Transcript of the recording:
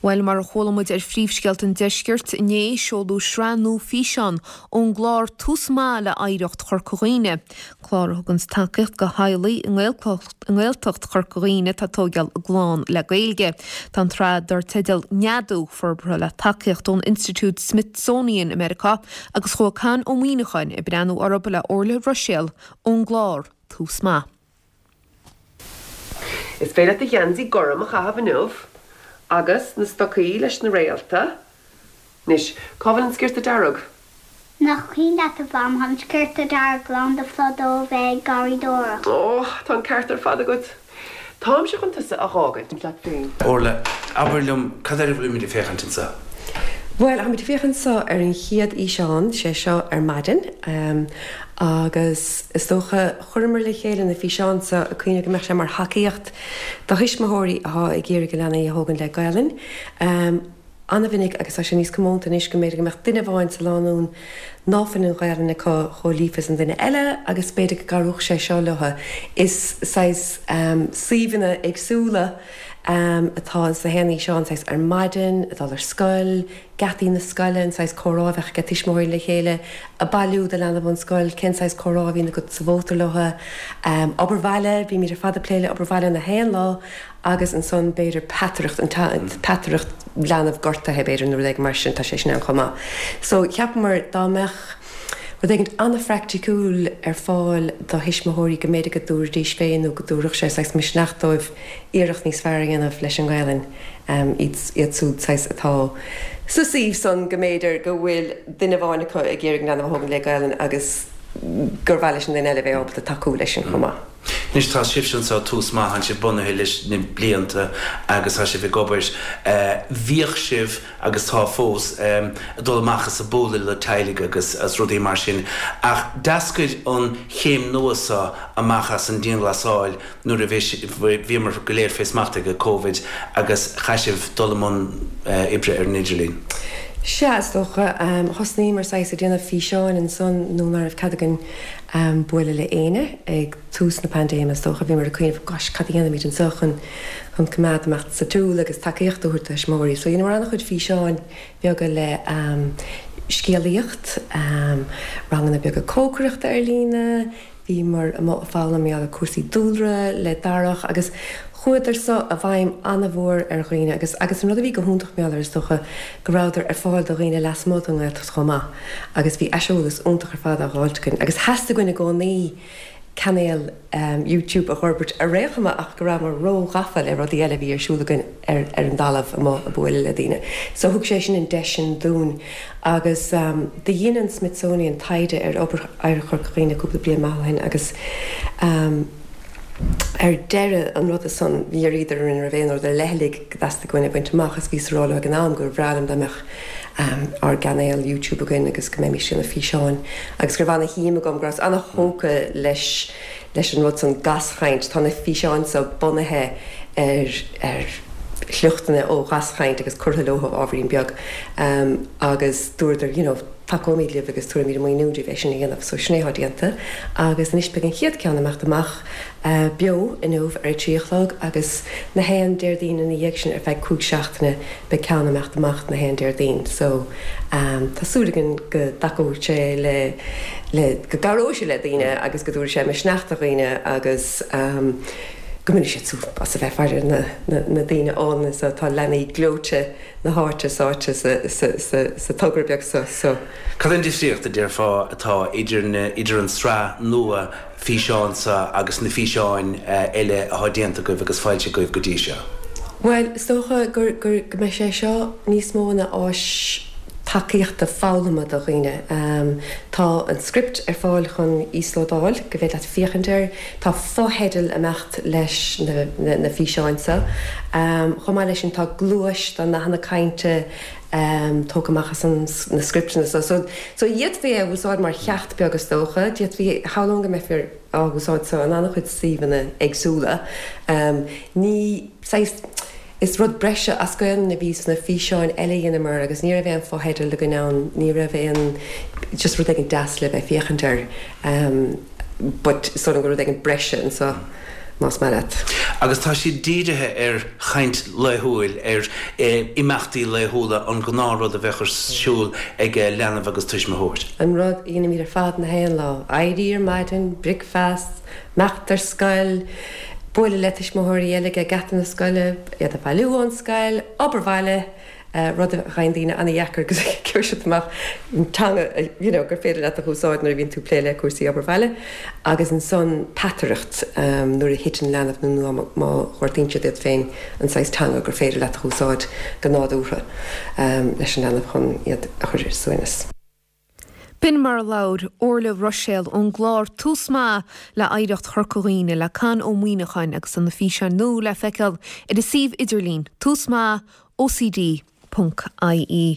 Bhuel, mar a chuala muid ar Phríomhscéalta an Deiscirt inné, seoladh sraith nua físeán ón gclár Tús Maith le Oidhreacht Chorca Dhuibhne, clár a thuganns tacaíocht do theaghlaigh i nGaeltacht Chorca Dhuibhne atá ag tóigeáil a gclann le Gaeilge. Tá an tsraith dar teideal Neadú forbartha le tacaíocht ón Institiúid Smithsonian i Meiriceá agus chuaigh Con Ó Muíneacháin ag breathnú orthu le Orlaith Ruiséal ón gclár Tús Maith. Is féidir leat do gheansaí gorm a chaitheamh inniu agus na stocaí leis na réalta. Anois, cá bhfuil an sciorta dearg? Nach cuimhin leat, a Mham, tá an sciorta dearg lán de phlód ó bheith ag garraíodóireacht. Ó, tá an ceart ar fad agat. Táimse chun tusa a dh'fhágaint leat féin. Orla, abair liom, cad air a bhfuilimid ag féachaint anseo? Bhuel, táimid ag féachaint anseo ar an chéad fhíseán, sé seo ar maidin, agus is dócha, chuireamar le chéile na físeáin seo ag cuimhneamh go mbeadh sé mar thacaíocht do thuismitheoirí atá ag iarraidh a leanaí a thógaint le Gaelainn. An-mhinic, agus tá sé níos comónta anois, go mb'fhéidir go mbeadh duine amháin sa lánúin ná fuil an Ghaelainn acu chomh líofa is an duine eile agus b'fhéidir go gcabhródh sé seo leo. Is saghas suíomhanna éagsúla atá ins na haon fhíseán, saghas ar maidin, ag dul ar scoil, geataí na scoile, an saghas comhrá a bheadh ag tuismitheoirí le chéile, ag bailiú do leanbh ón scoil, cén saghas comhrá a bhíonn agat sa mhótar leo, obair bhaile, bímid ar fad ag plé le obair bhaile na haon lá agus ansan b'fhéidir peataireacht, an peataireacht leanbh gortaithe b'fhéidir nó rud éigin mar sin, tá sé sin ann chomh maith. So cheapamar dá mbeadh rud éigin an-phraiticiúil ar fáil do thuismitheoirí go mb'fhéidir go dtabharfaidís féin nó go dtabharfadh sé saghas misneach dóibh iarracht níos fearr a dhéanamh leis an nGaelainn. Iad siúd saghas atá sa suíomh san go mb'fhéidir go bhfuil duine amháin acu ag iarraidh an leanbh a thógaint le Gaelainn agus gur mhaith leis an duine eile bheith ábalta tacú leis sin chomh maith. Anois tá sibhse anseo, Tús Maith, tánn sibh bunaithe leis na blianta agus tá sibh ag obair. Bhíodh sibh, agus tá fós, ag dul amach is ag bualadh le teaghlaigh agus agus rudaí mar sin ach d'eascair an chéim nua seo amach as an dianghlasáil nuair a bhí, bhíomar go léir fé smacht ag Covid agus chaith sibh dul i mbun oibre ar an idirlíon. Sea, is dócha. Thosnaíomar saghas ag déanamh físeáin ansan nuair ná raibh cead againn bualadh le éinne ag tús na paindéime is dócha. Bhíomar ag cuimhneamh, gosh, cad a dhéanfaimid anseo chun chun coimeád amach sa tsiúl agus tacaíocht a thabhairt do thuismitheoirí. So dheineamar an-chuid físeáin beaga le scéalaíocht, ranganna beaga cócaireachta ar líne, Bhíomar amuigh ag foghlaim mar gheall ar cúrsaí dúlra le Darach agus chuadar so i bhfeidhm an-mhór ar dhaoine agus agus an rud a bhí go hiontach mar gheall air is dócha go rabhadar ar fáil do dhaoine lasmuigh den nGaeltacht chomh maith agus bhí aiseolas iontach ar fad á dh'fháilt againn agus theastaigh uainn i gcónaí cainéal YouTube a dh'fhorbairt ar aon chuma ach go rabhamar ró-ghafa le rudaí eile a bhí ar siúl againn ar ar an dtalamh amuigh ag bualadh le daoine. So thug sé sin an deis sin dúinn agus do dhein an Smithsonian taighde ar obair Oidhreacht Chorca Dhuibhne cúpla bliain maith ó shin agus ar deireadh an ruda san dh'iarraíodar orainn an raibh aon rud ar leithligh go dteastaigh uainn a bhaint amach agus bhíos ag rá leo ag an am gur bhreá liom dá mbeadh ár gcainéal YouTube againn agus go mbeimis ag déanamh físeáin agus go raibh ana-shuim agam, go rabhas ana-thógtha leis leis an rud san gaschaint. Tá na físeáin seo bunaithe ar ar shliochtanna ó ghaschaint agus curtha leo ábhairín beag agus dúradar you know tacóimid libh agus tabharfaimid an maoiniú daoibh é sin a dhéanamh. So sin é atá déanta agus anois beidh an chéad ceann ag imeacht amach beo inniu ar a 3 a chlog agus na haon Déardaoin ina dhiaidh sin ar feadh 5 seachtaine beidh ceann ag imeacht amach na haon Déardaoin. So tá súil againn go dtacóidh sé le le go gcabhróidh sé le daoine agus go dtabharfaidh sé misneach do dhaoine agus go mbainfidh siad súp as a bheith ag faire na na daoine álainne so. Tá leanaí gleoite na háite sáite sa togra beag so. So. Cad é an difríocht, a déarfá, atá idir na, idir an tsraith nua físeán seo agus na físeáin eile atá déanta agaibh agus foilsithe agaibh go dtí seo? Bhuel, is dócha gur, gur, go mbeidh sé seo níos mó ina áis tacaíochta foghlama do dhaoine. Tá an script ar fáil chun íoslódáil, go bhféidir leat féachaint air. Tá fotheidil ag imeacht leis na físeáin seo. Chomh maith leis sin tá gluais de nathanna cainte tógtha amach as na scripteanna seo. So d'fhéadfaí é a úsáid mar cheacht beag is dócha. D'fhéadfaí, shamhlóinn go mbeifear á úsáid seo in an-chuid suíomhanna éagsúla. Ní saghas. Is rud breise as Gaelainn a bhí sna físeáin eile a dheineamar agus ní raibh aon fotheidil againn ann, ní raibh aon, just rud éigin deas le bheith ag féachaint air but is dóigh liom gur rud éigin breise anseo. Más maith leat. Agus tá siad dírithe ar chaint laethúil, ar imeachtaí laethúla, an gnáthrud a bheadh ar siúl ag leanbh agus tuismitheoir. An rud a dhéanaimid ar fad na haon lá, éirí ar maidin, bricfeast, imeacht ar scoil, bualadh le tuismitheoirí eile ag geata na scoile, iad a bhailiú ón scoil, obair bhaile, rud a fhaigheann daoine an-dheacair agus gheobhaidh siad amach an teanga you know gur féidir leat a úsáid nuair a bhíonn tú ag plé le cúrsaí obair bhaile agus ansan peataireacht nuair a thiteann leanbh nó má ghortaíonn siad iad féin an saghas teanga gur féidir leat a úsáid go nádúrtha leis an leanbh chun iad a chur ar a suaimhneas. B'in mar a labhair Orla Ruiséal ón gclár Tús Maith le Oidhreacht Chorca Dhuibhne le Con Ó Muíneacháin agus tá na físeáin nua le feiceáil ar a suíomh idirlín, túsmaith, ocd. ie.